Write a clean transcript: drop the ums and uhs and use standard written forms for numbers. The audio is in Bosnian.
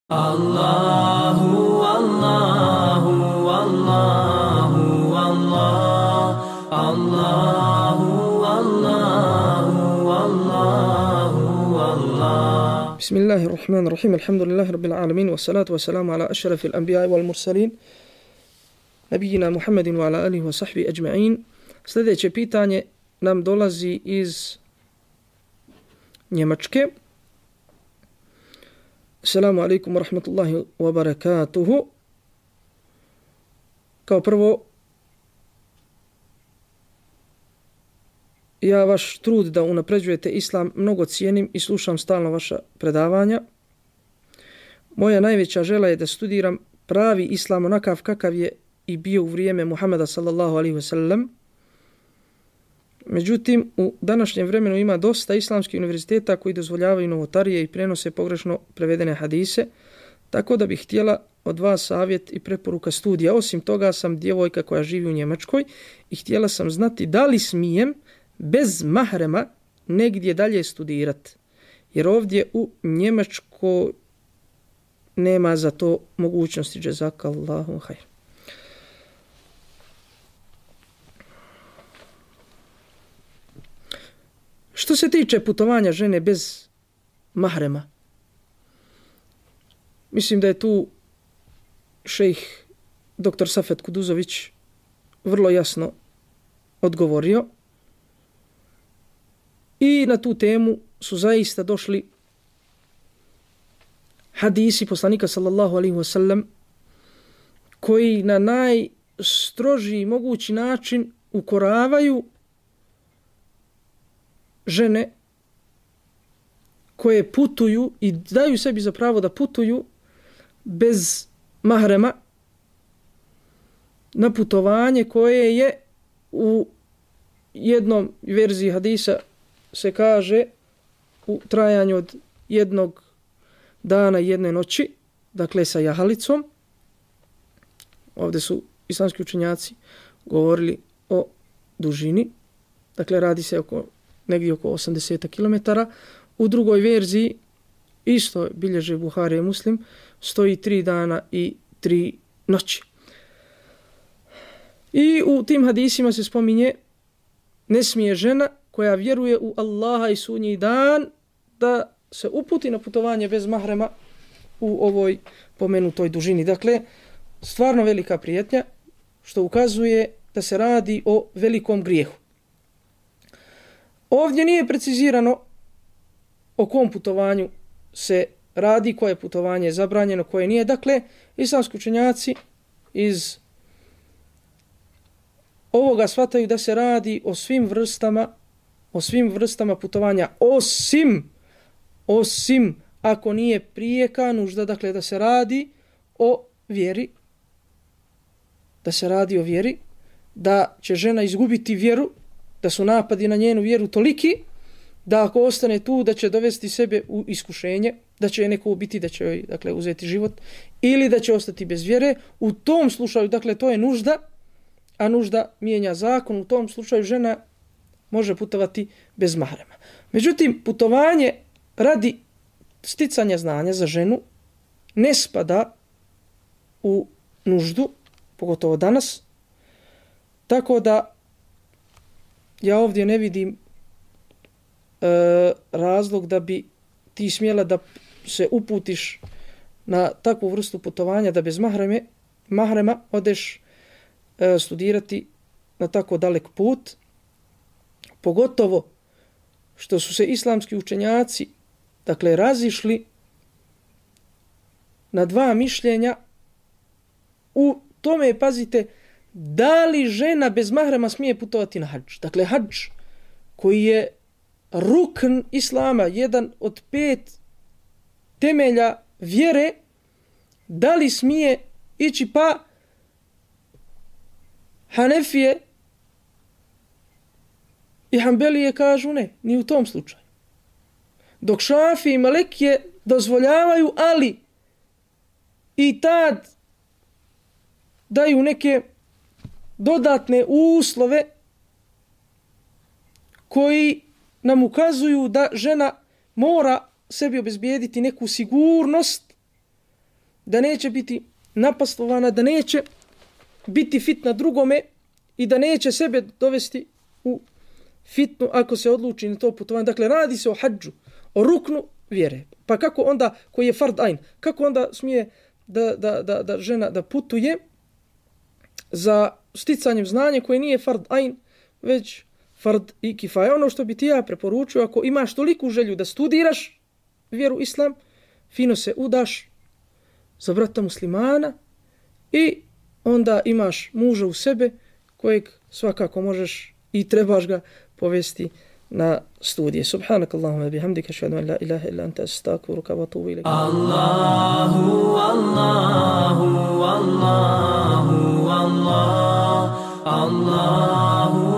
Allahu, Allahu, Allahu, Allah, Allahu, Allahu, Allahu, Allah. Bismillahirrahmanirrahim. Alhamdulillahi rabbil alamin, wassalatu wassalamu ala ashrafil anbiya'i wal mursalin, nabiyina Muhammedin wa ala alihi wa sahbihi ajma'in. Sljedeće pitanje nam dolazi iz Njemačke. Assalamu alaikum wa rahmatullahi wa barakatuhu. Kao prvo, ja vaš trud da unapređujete islam mnogo cijenim i slušam stalno vaša predavanja. Moja najveća želja je da studiram pravi islam onakav kakav je i bio u vrijeme Muhameda sallallahu alaihi wa sallam. Međutim, u današnjem vremenu ima dosta islamskih univerziteta koji dozvoljavaju novotarije i prenose pogrešno prevedene hadise, tako da bih htjela od vas savjet i preporuka studija. Osim toga sam djevojka koja živi u Njemačkoj i htjela sam znati da li smijem bez mahrema negdje dalje studirati, jer ovdje u Njemačkoj nema za to mogućnosti. Jazakallahu hajr. Što se tiče putovanja žene bez mahrema, mislim da je tu šejh dr. Safet Kuduzović vrlo jasno odgovorio i na tu temu su zaista došli hadisi poslanika sallallahu alaihi wa sallam koji na najstrožiji mogući način ukoravaju žene koje putuju i daju sebi za pravo da putuju bez mahrema na putovanje koje je u jednom verziji hadisa se kaže u trajanju od jednog dana i jedne noći, dakle sa jahalicom. Ovdje su islamski učenjaci govorili o dužini, dakle radi se negdje oko 80 km. U drugoj verziji, isto bilježe Buhari i Muslim, stoji 3 dana i 3 noći. I u tim hadisima se spominje, ne smije žena koja vjeruje u Allaha i sudnji dan da se uputi na putovanje bez mahrema u ovoj pomenutoj dužini. Dakle, stvarno velika prijetnja, što ukazuje da se radi o velikom grijehu. Ovdje nije precizirano o kom putovanju se radi, koje putovanje je zabranjeno, koje nije. Dakle, islamski učenjaci iz ovoga shvataju da se radi o svim vrstama putovanja, osim ako nije prijeka nužda, dakle da se radi o vjeri, da će žena izgubiti vjeru, da su napadi na njenu vjeru toliki da ako ostane tu da će dovesti sebe u iskušenje, da će je neko ubiti, da će joj dakle uzeti život ili da će ostati bez vjere. U tom slučaju, dakle to je nužda, a nužda mijenja zakon. U tom slučaju žena može putovati bez mahrema. Međutim, putovanje radi sticanja znanja za ženu ne spada u nuždu, pogotovo danas, tako da ja ovdje ne vidim razlog da bi ti smjela da se uputiš na takvu vrstu putovanja, da bez mahrema odeš studirati na tako dalek put, pogotovo što su se islamski učenjaci dakle razišli na dva mišljenja u tome, pazite, da li žena bez mahrema smije putovati na hadž. Dakle, hadž koji je rukn islama, jedan od 5 temelja vjere, da li smije ići, pa Hanefije i Hanbelije kažu ne, ni u tom slučaju. Dok Šafije i Malikije dozvoljavaju, ali i tad daju neke dodatne uslove koji nam ukazuju da žena mora sebi obezbijediti neku sigurnost da neće biti napastovana, da neće biti fitna drugome i da neće sebe dovesti u fitnu ako se odluči na to putovanje. Dakle, radi se o hadžu, o ruknu vjere. Pa kako onda, koji je fard ajn, kako onda smije da žena da putuje za sticanjem znanja koje nije fard ajn, već fard i kifaja. Ono što bi ti ja preporučio, ako imaš toliku želju da studiraš vjeru islam, fino se udaš za brata muslimana i onda imaš muža u sebe kojeg svakako možeš i trebaš ga povesti na studije. Subhanakallahumma bihamdika ašhadu an la ilaha illa anta astaghfiruka wa atubu ilayk. Allahu Allahu Allahu Allah Allahu